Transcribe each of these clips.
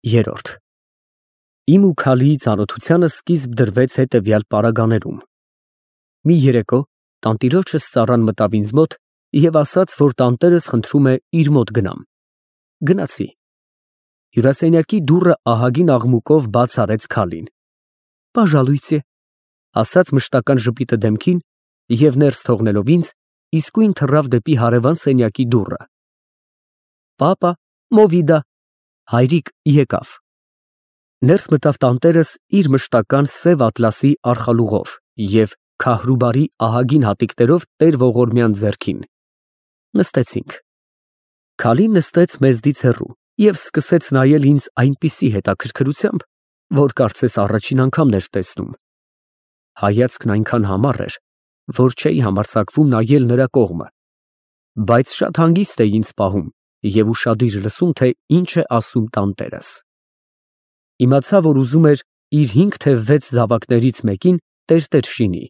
Երորդ Իմ ու Քալիի ծանոթությանը սկիզբ դրվեց հետևյալ պարագաներում. Մի երեկո տանտիրոջս ծառան մտավ ինձ մոտ և ասաց, որ տանտերս խնդրում է իր մոտ գնամ։ Գնացի։ Հյուրասենյակի դուռը ահագին աղմուկով բաց արեց Քալին։ Պաժալույցե, ասաց մշտական ժպիտը դեմքին և ներս թողնելով ինձ, իսկույն թռավ դեպի հարևան սենյակի դուռը։ Պապա, մովիդա, հայրիկ եկավ։ Ներս մտավ տանտերս իր մշտական սև ատլասի արխալուղով և քահրուբարի ահագին հատիկներով տեր ողորմյան ձեռքին։ Նստեցինք։ Քալին նստեց մեզնից հեռու և սկսեց նայել ինձ այնպիսի հետաքրքրությամբ, որ կարծես առաջին անգամն էր տեսնում։ Հայացքն այնքան համառ էր, որ չէի համարձակվում նայել նրա կողմը, բայց շատ հանգիստ էի ինձ պահում և ուշադիր լսում, թե ինչ է ասում տանտերս։ Իմացա, որ ուզում էր իր 5 թե 6 զավակներից մեկին տերտեր շինի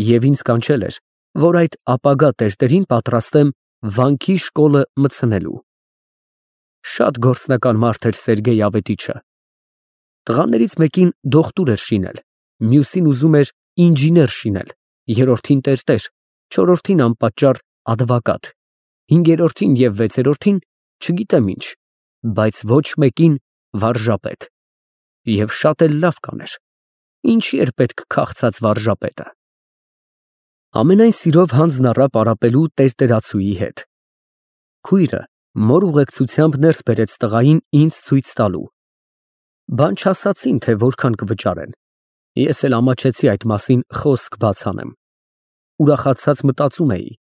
և ինձ կանչել էր, որ այդ ապագա տերտերին պատրաստեմ վանքի շկոլը մտցնելու։ Շատ գործնական մարդ էր Սերգեյ Ավետիչը։ Տղաներից մեկին դոկտոր էր շինել, մյուսին ուզում էր ինժեներ շինել, երրորդին տերտեր, չորրորդին անպատճառ ադվակատ, հինգերորդին և վեցերորդին չգիտեմ ինչ, բայց ոչ մեկին վարժապետ։ Եվ շատ էլ լավ կաներ, ինչի էր պետք քաղցած վարժապետը։ Ամենայն սիրով հանձն առա պարապելու տերտերացուի հետ։ Քույրը մոր ուղեկցությամբ ներս բերեց տղային ինձ ցույց տալու։ Բան չասացին, թե որքան կվճարեն։ Ես էլ ամաչեցի այդ մասին խոսք բաց անեմ։ Ուրախացած մտածում էի.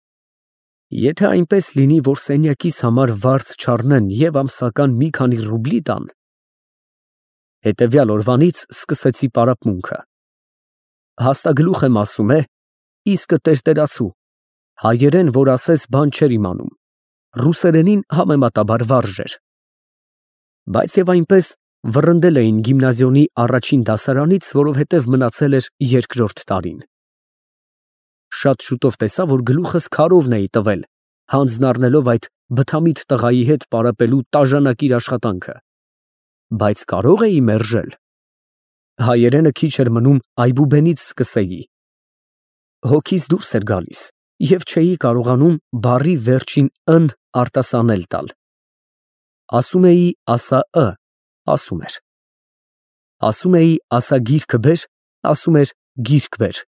եթե այնպես լինի, որ սենյակիս համար վարձ չառնեն և ամսական մի քանի ռուբլի տան։ Հետևյալ օրվանից սկսեցի պարապմունքը։ Հաստագլուխ եմ ասում, իսկը տերտերացու, հայերեն, որ ասես բան չէր իմանում, ռուսերենին համեմատաբար վարժ էր։ Բայց և այնպես վռնդել էին գիմնազիոնի առաջին դասարանից, որովհետև մնացել էր երկրորդ տարին։ Շատ շուտով տեսա, որ գլուխս քարովն էի տվել, հանձն առնելով այդ բթամիտ տղայի հետ պարապելու տաժանակիր աշխատանքը, բայց կարող էի մերժել։ Հայերենը քիչ էր մնում այբուբենից սկսեի։ Հոգիս դուրս էր գալիս և չէի կարողանում բառի վերջին «ն» արտասանել տալ։ Ասում էի ասա «ը», ասում էր։ Ասում էի ասա գիրքը բեր, ասում էր գիրք բեր։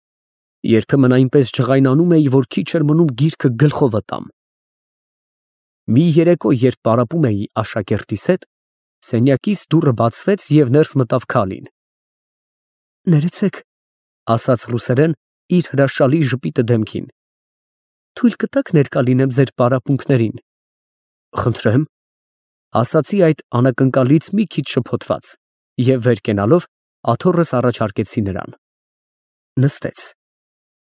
Երբեմն այնպես ջղայնանում էի, որ քիչ էր մնում գիրքը գլխովը տամ։ Մի երեկո, երբ պարապում էի աշակերտիս հետ, սենյակիս դուռը բացվեց և ներս մտավ Քալին։ Ներեցեք, ասաց ռուսերեն իր հրաշալի ժպիտը դեմքին։ Թույլ կտաք ներկա լինեմ ձեր պարապմունքներին։ Խնդրեմ, ասացի այդ անակնկալից մի քիչ շփոթված և վեր կենալով աթոռս առաջարկեցի նրան։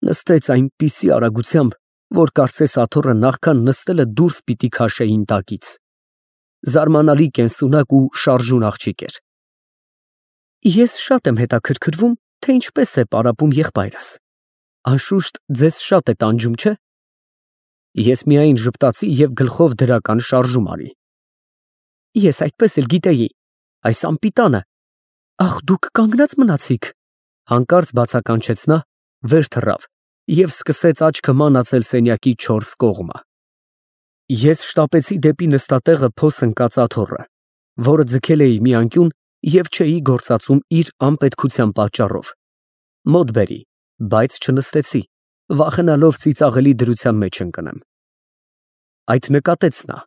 Նստեց այնպիսի արագությամբ, որ կարծես աթոռը նախքան նստելը դուրս պիտի քաշեի ինտակից։ Զարմանալի կենսունակ ու շարժուն աղջիկ էր։ Ես շատ եմ հետաքրքրվում, թե ինչպես է պարապում եղբայրս։ Անշուշտ ձեզ շատ է տանջում, չէ՞։ Ես միայն ժպտացի և գլխով դրական շարժում արի։ Ես այդպես էլ գիտեի, այս անպիտանը։ Ախ, դուք կանգնած մնացիք։ Հանկարծ բացականչեց նա, վեր թռավ և սկսեց աչքը մանացել սենյակի 4 կողմը։ Ես շտապեցի դեպի նստատեղը փոս ընկած աթոռը, որը ձգել էի մի անկյուն և չէի գործածում իր անպետքության պատճառով։ Մոտ բերի, բայց չնստեցի, վախենալով ծիծաղելի դրության մեջ ընկնեմ։ Այդ նկատեց նա։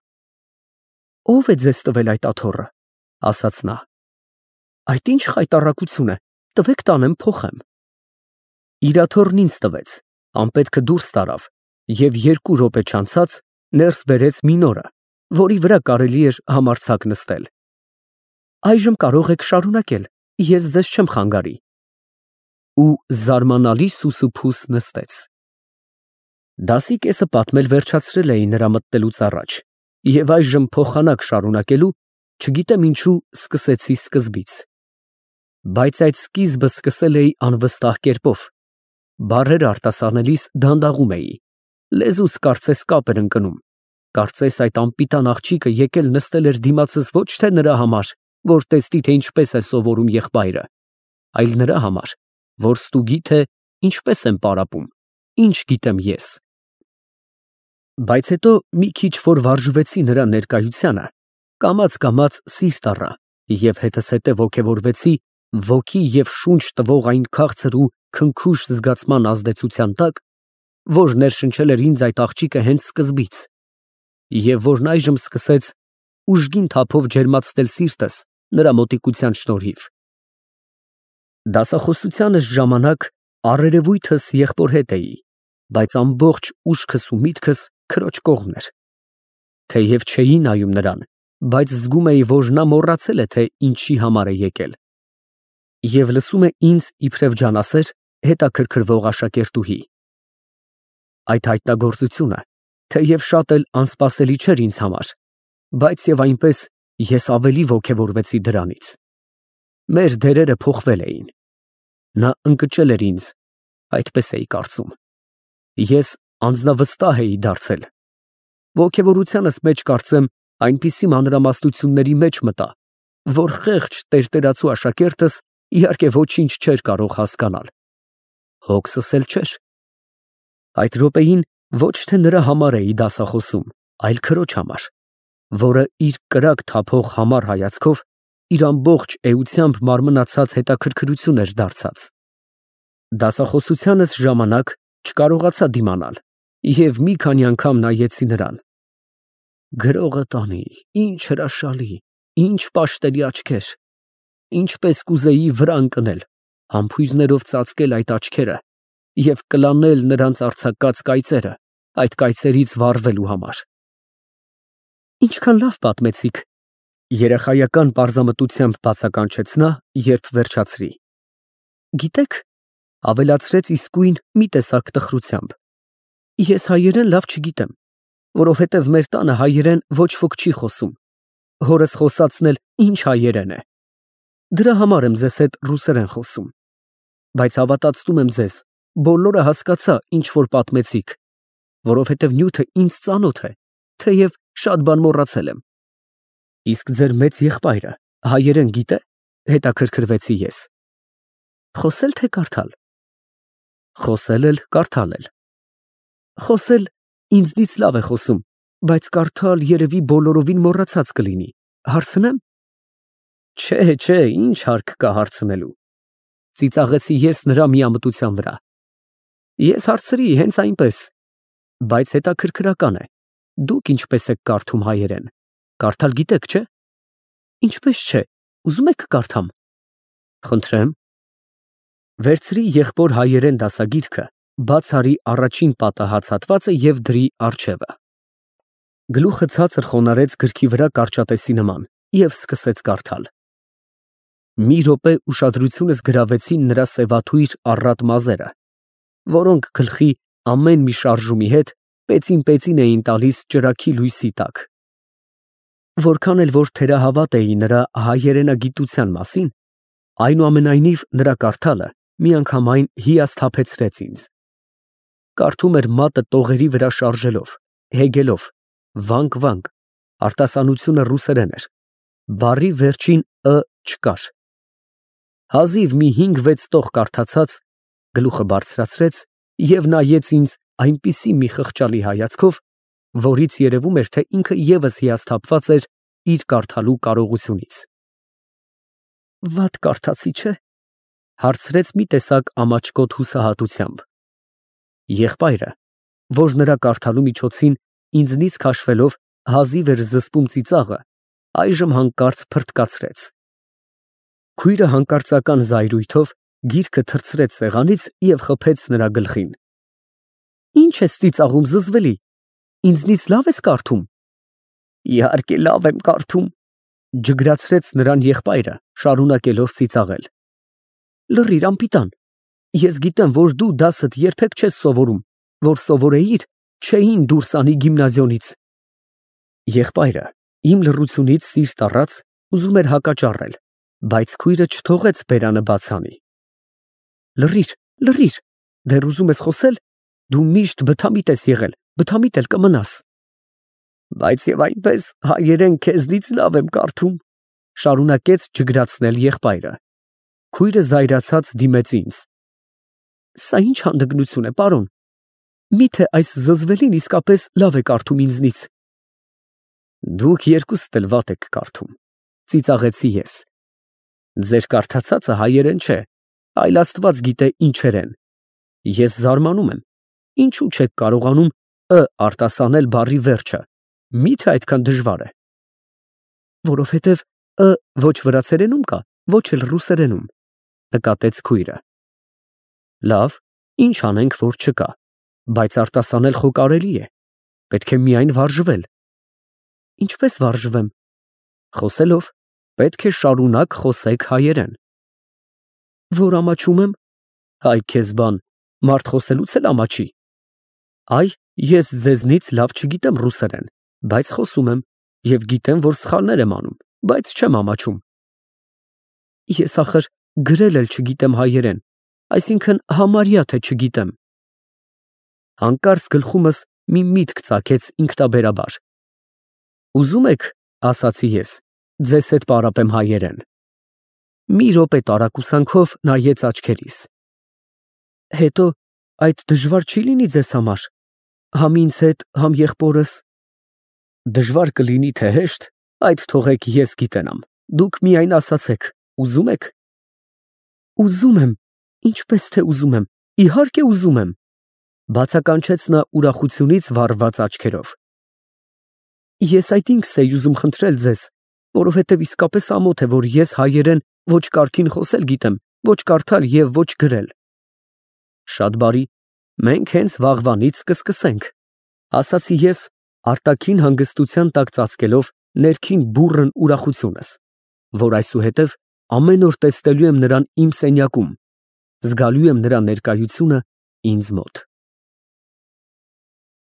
Ո՞վ է ձեզ տվել այդ աթոռը, ասաց նա։ Այդ ինչ խայտառակություն է, տվեք տանեմ փոխեմ։ Իր աթոռն ինձ տվեց, անպետքը դուրս տարավ և 2 րոպե չանցած ներս բերեց մի նորը, որի վրա կարելի էր համարձակ նստել։ Այժմ կարող եք շարունակել, ես ձեզ չեմ խանգարի։ Ու զարմանալի սուսուփուս նստեց։ Դասի կեսը պատմել վերջացրել էի նրա մտնելուց առաջ և այժմ փոխանակ շարունակելու, չգիտեմ ինչու, սկսեցի սկզբից։ Բայց այդ սկիզբը սկսել էի անվստահ կերպով։ Բառերը արտասանելիս դանդաղում էի։ Լեզուս կարծես կապ էր ընկնում։ Կարծես այդ անպիտան աղջիկը եկել նստել էր դիմացս ոչ թե նրա համար, որ տեսնի, թե ինչպես է սովորում եղբայրը, այլ նրա համար, որ ստուգի, թե ինչպես եմ պարապում, ինչ գիտեմ ես։ Բայց հետո մի քիչ որ վարժվեցի նրա ներկայությանը, կամաց սիրտ առա և հետզհետև ոգևորվեցի ոգի և շունչ տվող այն քաղցր ու քնքուշ զգացման ազդեցության տակ, որ ներշնչել էր ինձ այդ աղջիկը հենց սկզբից, և որն այժմ սկսեց ուժգին թափով ջերմացնել սիրտս նրա մոտիկության շնորհիվ։ Դասախոսությանս ժամանակ առերևույթս եղբոր հետ էի, բայց ամբողջ ուշքս ու միտքս քրոջ կողմն էր։ Թեև չէի նայում նրան, բայց զգում էի, որ նա մոռացել է, թե ինչի համար է եկել, և լսում է ինձ իբրև ջանասեր հետաքրքրվող աշակերտուհի։ Այդ հայտնագործությունը թեև շատ էլ անսպասելի չէր ինձ համար, բայց և այնպես ես ավելի ոգևորվեցի դրանից։ Մեր դերերը փոխվել էին։ Նա ընկճել էր ինձ, այդպես էի կարծում։ Ես անձնավստահ էի դարձել։ Ոգևորությանս մեջ, կարծեմ, այնպիսի մանրամասնությունների մեջ մտա, որ խեղճ տերտերացու աշակերտս իհարկե ոչինչ չէր կարող հասկանալ։ Հոգսս էլ չէր։ Այդ րոպեին ոչ թե նրա համար էի դասախոսում, այլ քրոջ համար, որը իր կրակ թափող համառ հայացքով իր ամբողջ էությամբ մարմնացած հետաքրքրություն էր դարձած։ Դասախոսությանս ժամանակ չկարողացա դիմանալ և մի քանի անգամ նայեցի նրան։ Գրողը տանի, ինչ հրաշալի, ինչ պաշտելի աչքեր, ինչպես կուզեի վրա ընկնել, համբույրներով ծածկել այդ աչքերը և կլանել նրանց արձակած կայծերը, այդ կայծերից վառվելու համար։ Ինչքան լավ պատմեցիք, երեխայական պարզամտությամբ բացականչեց նա, երբ վերջացրի։ Գիտեք, ավելացրեց իսկույն մի տեսակ տխրությամբ, ես հայերեն լավ չգիտեմ, որովհետև մեր տանը հայերեն ոչ ոք չի խոսում, հորս խոսացն էլ ինչ հայերեն է։ Դրա համար եմ ձեզ հետ ռուսերեն խոսում, բայց հավատացնում եմ ձեզ, բոլորը հասկացա, ինչ որ պատմեցիք, որովհետև նյութը ինձ ծանոթ է, թեև շատ բան մոռացել եմ։ Իսկ ձեր մեծ եղբայրը հայերեն գիտե՞, հետաքրքրվեցի ես։ Խոսել թե կարդալ։ Խոսել էլ, կարդալ էլ։ Խոսել ինձնից լավ է խոսում, բայց կարդալ երևի բոլորովին մոռացած կլինի, հարցնեմ։ Չէ, ինչ հարկ կա հարցնելու։ Ծիծաղեցի ես նրա միամտության վրա։ Ես հարցրի հենց այնպես, բայց հետաքրքրական է, դուք ինչպես եք կարդում հայերեն, կարդալ գիտեք, չէ։ Ինչպես չէ, ուզում եք կարդամ։ Խնդրեմ։ Վերցրի եղբոր հայերեն դասագիրքը, բաց արի առաջին պատահած հատվածը և դրի առջևը։ Գլուխը ցածր խոնարհեց գրքի վրա կարճատեսի նման և սկսեց կարդալ։ Մի րոպե ուշադրությունս գրավեցին նրա սևաթույր առատ մազերը, որոնք գլխի ամեն մի շարժումի հետ պեցին էին տալիս ճրագի լույսի տակ։ Որքան էլ որ թերահավատ էի նրա հայերենագիտության մասին, այնուամենայնիվ նրա կարդալը միանգամայն հիասթափեցրեց ինձ։ Կարդում էր մատը տողերի վրա շարժելով, հեգելով, վանկ, արտասանությունը ռուսերեն էր, բառի վերջին չկար։ Հազիվ մի 5-6 տող կարդացած, գլուխը բարձրացրեց և նայեց ինձ այնպիսի մի խղճալի հայացքով, որից երևում էր, թե ինքը ևս հիասթափված էր իր կարդալու կարողությունից։ Վատ կարդացի, չէ՞, հարցրեց մի տեսակ ամաչկոտ հուսահատությամբ։ Եղբայրը, որ նրա կարդալու միջոցին ինձնից քաշվելով հազիվ էր զսպում ծիծաղը, այժմ հանկարծ փռթկացրեց։ Քույրը հանկարծական զայրույթով գիրքը թռցրեց սեղանից և խփեց նրա գլխին։ Ինչ ես ծիծաղում, զզվելի, ինձնից լավ ես կարդում։ Իհարկե լավ եմ կարդում, ջգրացրեց նրան եղբայրը, շարունակելով ծիծաղել։ Լռիր, անպիտան, ես գիտեմ, որ դու դասդ երբեք չես սովորում, որ սովորեիր, չէին դուրս անի գիմնազիոնից։ Եղբայրը իմ լռությունից սիրտ առած ուզում էր հակաճառել, բայց քույրը չթողեց բերանը բաց անի։ Լռիր, դեռ ուզում ես խոսել, դու միշտ բթամիտ ես եղել, բթամիտ էլ կմնաս։ Բայց և այնպես հայերեն քեզնից լավ եմ կարդում, Շարունակեց ջգրացնել եղբայրը։ Քույրը զայրացած դիմեց ինձ։ Սա ինչ հանդգնություն է, պարոն։ Միթե այս զզվելին իսկապես լավ է կարդում ինձնից։ Դուք երկուստ էլ վատ եք կարդում, ծիծաղեցի ես։ Ձեր կարդացածը հայերեն չէ, այլ Աստված գիտե ինչեր են։ Ես զարմանում եմ, ինչու չեք կարողանում «ը» արտասանել բառի վերջը, միթե այդքան դժվար է։ Որովհետև «ը» ոչ վրացերենում կա, ոչ էլ ռուսերենում, նկատեց քույրը։ Լավ, ինչ անենք, որ չկա, բայց արտասանել խո կարելի է, պետք է միայն վարժվել։ Ինչպես վարժվեմ։ Խոսելով, պետք է շարունակ խոսեք հայերեն։ Որ ամաչում եմ, հայ քեզ բան, մարդ խոսելուց էլ ամաչի։ Այ, ես ձեզնից լավ չգիտեմ ռուսերեն, բայց խոսում եմ, և գիտեմ, որ սխալներ եմ անում, բայց չեմ ամաչում։ Ես ախր գրել էլ չգիտեմ հայերեն, այսինքն համարյա թե չգիտեմ։ Հանկարծ գլխումս մի միտք ծագեց ինքնաբերաբար։ Ուզում եք, ասացի ես, ձեզ հետ պարապեմ հայերեն։ Մի րոպե տարակուսանքով նայեց աչքերիս։ Հետո այդ դժվար չի լինի ձեզ համար, համ ինձ հետ, համ եղբորս։ Դժվար կլինի թե հեշտ, այդ թողեք ես գիտենամ, դուք միայն ասացեք, ուզում եք։ Ուզում եմ, ինչպես թե ուզում եմ, իհարկե ուզում եմ, բացականչեց նա ուրախությունից վառված աչքերով։ Ես այդ ինքս էի ուզում խնդրել ձեզ, որովհետև իսկապես ամոթ է, որ ես հայերեն ոչ կարգին խոսել գիտեմ, ոչ կարդալ և ոչ գրել։ Շատ բարի, մենք հենց վաղվանից կսկսենք, ասացի ես, արտաքին հանգստության տակ ծածկելով ներքին բուռն ուրախությունս, որ այսուհետև ամեն օր տեսնելու եմ նրան իմ սենյակում, զգալու եմ նրա ներկայությունը ինձ մոտ։